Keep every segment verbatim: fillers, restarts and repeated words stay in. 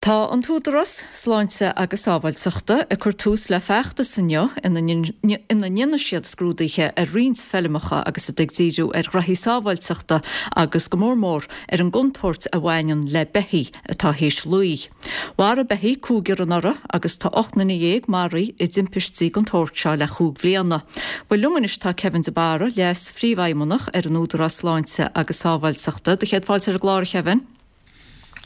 Tá an tÚdarás Sláinte agus Sábháilteachta ag cur tús le feachtas inniu ina ndéanfaidh siad scrúduithe ar roinnt feirmeacha agus iad ag díriú ar ghraithí sábháilteachta agus go mór mór ar an gcontúirt a bhaineann le beithígh atá théis luí. Mharaigh beithígh cúigear anuraidh agus tá ocht nduine dhéag maraithe i dtimpistí den tsórt seo le cúig bliana. Bhuel liom anois tá Kevin de Barra, Leas-Phríomhfheidhmeannach ar an Údarás Sláinte agus Sábháilteachta. Do chéad fáilte ar an gclár, a Kevin.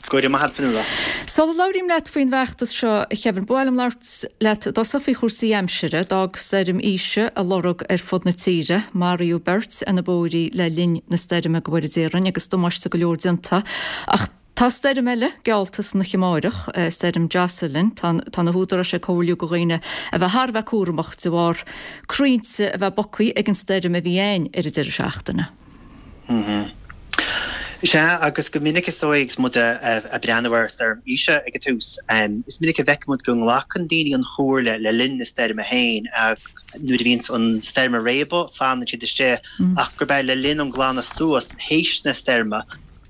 Go raibh maith agat, Fionnuala. Sula labhraím leat faoin bhfeachtas seo, a Kevin, ba mhaith liom labhairt leat i dtosach faoi chúrsaí aimsire. D'fhág stoirm Isha a lorg ar fud na tíre. Maraíodh beirt ar na bóithrí le linn na stoirme go bhfóire Dia orainn agus damáiste go leor déanta. Ach tá stoirm eile geallta san oíche amárach, stoirm Jocelyn. Tá tá na húdaráis ag comhairliú do dhaoine a bheith thar a bheith cúramach de bharr crainnte a bheith bogtha ag an stoirm a bhí ann ar an deireadh seachtaine. Sea, agus go minic is dóigh agus muid ag breathnú ar Stoirm Isha ag an tús, is minic a bhfeiceann muid go nglacann daoine an chomhairle le linn na stoirme féin, nuair a bhíonns an stoirm ag réabadh, fanann siad istigh, ach gurb é le linn an glanadh suas théis na stoirme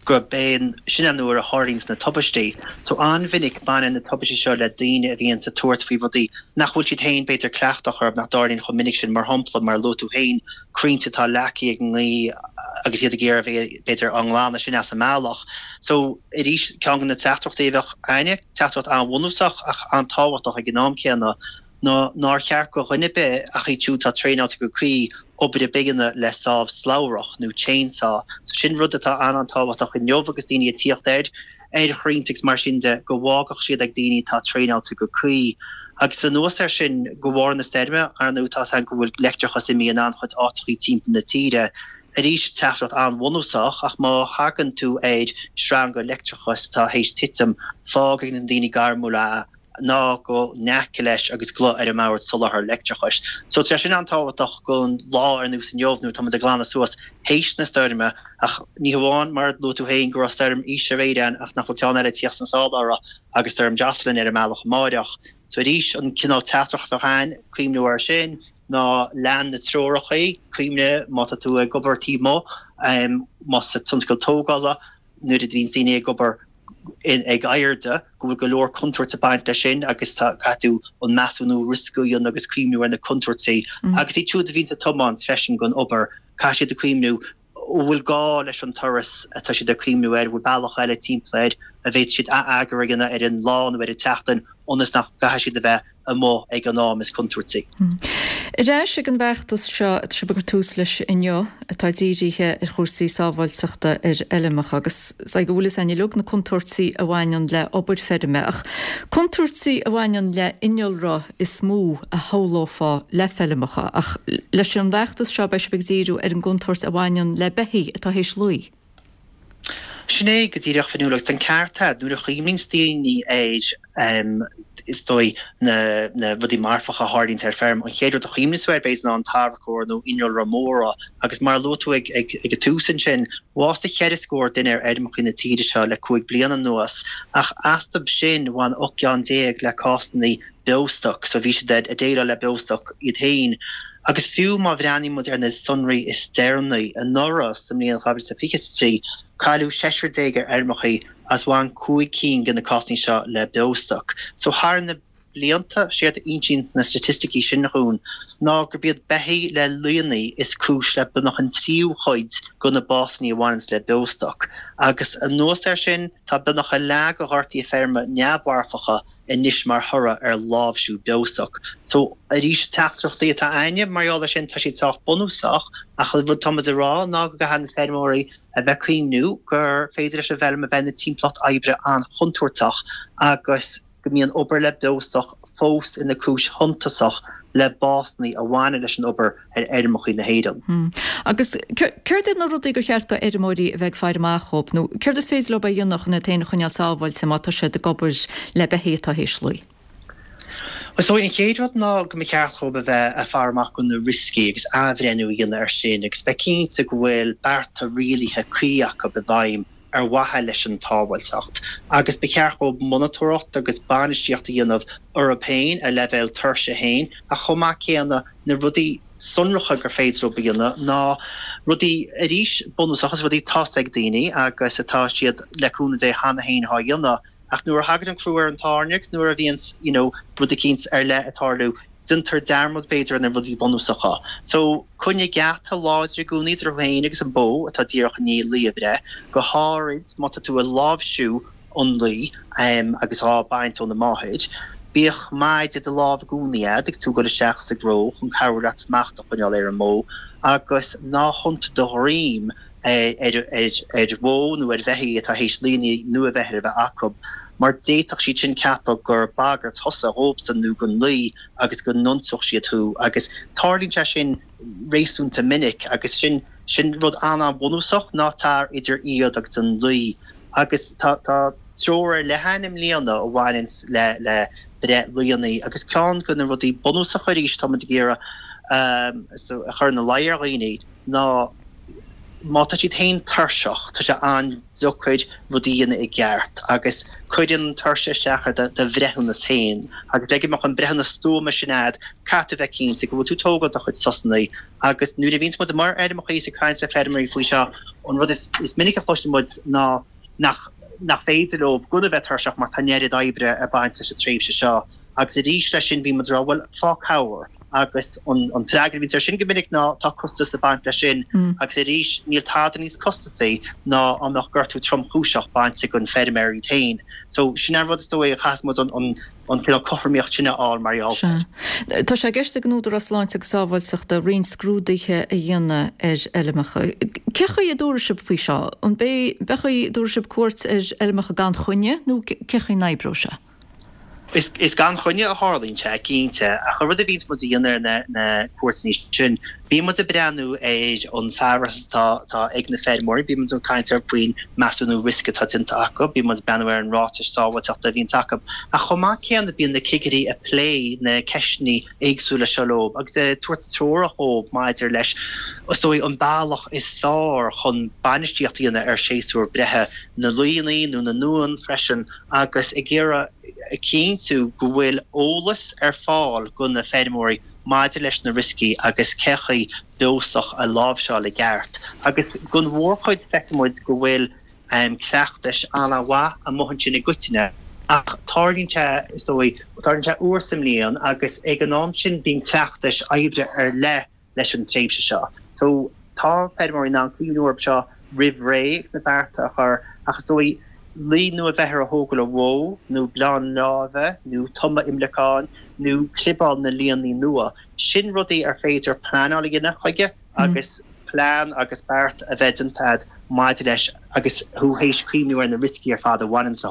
gurb é sin an uair a tharlaíonns na tubaistí. So an-mhinic baineann na tubaistí seo le daoine a bhíonns ag tabhairt faoi rudaí nach bhfuil siad féin b'fhéidir cleachtach orthu, nach dtarlaíonn chomh minic sin, mar shampla, mar a luaigh tú féin, crainnte atá leagtha ag an ngaoth agus iad ag iarraidh a bheith, b'fhéidir, á nglanadh sin as an mbealach. So, arís, ceann de na teachtaireachtaí a bheadh againne, teachtaireacht an-bhunúsach ach an-tábhachtach ag an am céanna, ná nár cheart go dhuine ar bith, ach iad siúd atá traenáilte go cuí, obair ar bith a dhéanamh le sábh slabhrach nó chainsaw. So sin rud atá an-an-tábhachtach inniu agus daoine ag tíocht air. ar chrainnte agus mar sin de, go bhfágfadh siad ag daoine atá traenáilte go cuí. Agus anuas air sin, de bharr na stoirme, ar ndóigh, tá's againn go bhfuil leictreachas imithe in an-chuid áiteachaí timpeall na tíre. Arís, teachtaireacht an-bhunúsach, ach má thagann tú ar sreanga leictreachais atá théis titim, fág ag na daoine gairmiúla é. ná gabh in aice leis agus glaoigh ar an mBord Soláthair Leictreachais. So tá sé sin an-tábhachtach don lá ar nós inniu nuair atá muid ag glanadh suas théis na stoirme ach ní hamháin mar a luaigh tú féin go raibh stoirm Isha aréir ann ach nach bhfuil ceann eile ag tíocht sna sála uirthi agus stoirm Jocelyn ar an mbealach amáireach. So arís an cineál teachtaireacht a bheadh ann, cuimhniú air sin ná lean na treorachaí, cuimhnigh má tá tú ag obair taobh amuigh, más sa tionscal tógála, nuair a bhíonn daoine ag obair ag airde, go bhfuil go leor contúirt ag baint leis sin agus tá, caithfidh tú an measúnú riosca a dhéanamh agus cuimhniú ar na contúirtí. Agus iad siúd a bhíonns ag tiomáint freisin don obair, caithfidh siad a cuimhniú an bhfuil gá leis an turas atá siad ag cuimhniú air, an bhfuil bealach eile timpeall air a bhféadfadh siad ath-eagar a dhéanamh ar an lá nó ar an tseachtain ionas nach gcaithfidh siad a bheith amuigh ag an am is contúirtí. Ar ais ag an bhfeachtas seo atá sibh ag cur tús leis inniu, atá dírithe ar chúrsaí sábháilteachta ar fheirmeacha, agus is dóigh go bhfuil fhios againn uilig na contúirtí a bhaineann le obair feirme, ach contúirtí a bhaineann le innealra is mó a shamhlófá le feirmeacha, ach leis an bhfeachtas seo beidh sibh ag díriú ar an gcontúirt a bhaineann le beithígh atá théis luí. Sin é go díreach, Fionnuala, agus tá an ceart agat, nuair a chuimhníonns daoine ar, is dóigh, na na rudaí marfacha a tharlaíonns ar feirm, an chéad rud a chuimhníos tú air, b'fhéidir, ná an tarracóir nó innealra móra. Agus mar a luaigh tú ag ag ag an tús ansin, bhásaigh ceithre scór duine ar fheirmeacha na tíre seo le cúig bliana anuas, ach astu sin, bhain ocht gceann déag le cásanna beostoic, so bhí siad ag déileáil le beostoc iad féin. Agus fiú má bhreathnaíonn muid ar na sonraí is deireanaí, anuraidh, sa mbliain dhá mhíle is fiche a trí, cailleadh seisear déag ar fheirmeacha agus bhain cúig cinn de na cásanna seo le beostoc. So thar na blianta, séard a insíonn na staitisticí sin dhúinn ná gurb iad beithígh le luíonnaí is cúis le beagnach an tríú chuid de na básanna a bhaineanns le beostoc. Agus anuas air sin, tá beagnach a leath de ghortuithe feirme neamh-mharfacha anois mar thoradh ar láimhsiú beostoic. So, arís, teachtaireachtaí atá a'inne mar gheall air sin, tá siad sách bunúsach, ach an rud atá muid a rá ná go gcaithfidh na feirmeoirí a bheith ag cuimhniú gur féidir leis an bhfeirm a bheith ina timpeallacht oibre an-chontúirteach agus go mbíonn obair le beostoc fós ina cúis shuntasach le básanna a bhaineann leis an obair ar fheirmeacha na hÉireann. Agus céard iad na rudaí gur cheart do fheirmeoirí a bheith ag faire amach dhóibh, nó céard is féidir leo a dhéanamh chun iad féin a choinneáil sábháilte má tá siad ag obair le beithígh atá théis luí? Is dóigh an chéad rud ná go mba cheart dhóibh a bheith ag faire amach do na rioscaí agus athbhreithniú a dhéanamh air sin agus bheith cinnte go bhfuil bearta rialaithe cuí acu i bhfeidhm ar mhaithe leis an tsábháilteacht, agus ba cheart dhóibh monatóireacht agus bainistíocht a dhéanamh orthu féin, a leibhéal tuirse féin, ach chomh maith céanna na rudaí sonracha gur féidir leo a dhéanamh ná rudaí, arís, bunúsacha, is rudaí atá 's ag daoine agus atá siad, le cúnamh Dé, cheana féin á dhéanamh. Ach nuair a thagann an crú ar an tairne agus nuair a bhíonns you know rud eicínt ar leith ag tarlú, déantar dearmad b'fhéidir ar na rudaí bunúsacha. So, coinnigh geata láidir i gcónaí idir thú féin agus an bó atá díreach i ndiaidh lao a bhreith, go háirid má tá tú ag láimhsiú an lao agus á baint óna máthair. Bíodh maide i do lámh i gcónaí a'd agus tú ag dul isteach sa gcró chun cabhrú leat smacht a choinneáil ar an mbó agus ná hiontaigh do dhroim ar bhó nó ar bheithígh atá théis laonna nua-bheirthe a bheith acu mar d'fhéadfadh siad sin ceapadh gur bagairt thusa dhóibhsan nó don lao agus go n-ionsódh siad thú agus tarlaíonn sé sin réasúnta minic agus sin sin rud an-an-bhunúsach, ná tar idir iad agus an lao. Agus tá treoir ar leith ann i mbliana a bhaineanns le le breith laonna agus ceann de na rudaí bunúsacha arís tá muid ag iarraidh a chur ina luí ar dhaoine ná má tá siad féin tuirseach, tá sé an-deacair rudaí a dhéanamh i gceart agus cuireann an tuirse isteach ar do bhreithiúnas féin agus le go mbeadh an breithiúnas stuama sin a'd caithfidh tú bheith cinnte go bhfuil tú ag tógáil do chuid sosanna agus nuair a bhíonns muid amuigh ar fheirmeacha is ag caint le feirmeoirí faoi seo an rud is minic a chloiseann muid ná nach nach féidir leo gan a bheith tuirseach mar tá an oiread oibre ag baint leis an tréimhse seo agus arís leis sin bíonn muid ag rá bhuel fág cabhair agus an an freagra a bhíonns air sin go minic ná tá costas ag baint leis sin agus arís níl tada níos costasaí ná dá mbeadh gortú tromchúiseach bainte den feirmeoir iad féin. So sin an rud is dóigh a chaithfeas muid an an an cineál cothromaíocht sin a fháil mar gheall air. Tá sé i gceist ag an Údarás Sláinte agus Sábháilteachta roinnt scrúduithe a dhéanamh ar fheilmeacha. Cé chaoi a dtabharfaidh sibh faoi seo? An b'é chaoi a dtabharfaidh sibh cuairt ar fheilmeacha gan choinne nó cé chaoi a n-oibreoidh sé? Is gan choinne a tharlaíonn sé, cinnte, ach an rud a bhíonns muid a dhéanamh ar na cuairteanna sin, bíonn muid ag breathnú ar an bhfearas atá ag na feirmeoirí, bíonn muid ag caint faoin measúnú riosca atá déanta acu, bíonn muid ag breathnú ar an ráiteas sábháilteachta a bhíonns acu. Ach chomh maith céanna bíonn na cigirí ag plé na ceisteanna éagsúla seo leo agus ag tabhairt treorach dhóibh maidir leis, is dóigh, an bealach is fearr chun bainistíocht a dhéanamh ar shéasúr breithe na laonna nó na n-uan freisin agus ag iarraidh a chinntiú go bhfuil eolas ar fáil do na feirmeoirí maidir leis na rioscaí agus cé chaoi beostoc a láimhseáil i gceart. Agus don mhórchuid feiceann muid go bhfuil cleachtais an-mhaith amuigh ansin i gcoitinne ach tarlaíonn sé, is dóigh, tarlaíonn sé uair sa mbliain agus ag an am sin bíonn cleachtais oibre ar leith leis an tréimhse seo. So tá feirmeoirí in ann cuimhniú orthu seo roimh ré agus na bearta a chur ach is dóigh lao nua-bheirthe a thógáil ó bhó nó bleán láimhe nó tumadh imleacáin nó clibeáil na laonna nua, sin rudaí ar féidir pleanáil a dhéanamh chuige agus plean agus beart a bheith déanta agat maidir leis agus thú théis cuimhniú ar na rioscaí ar fad a bhaineann leo.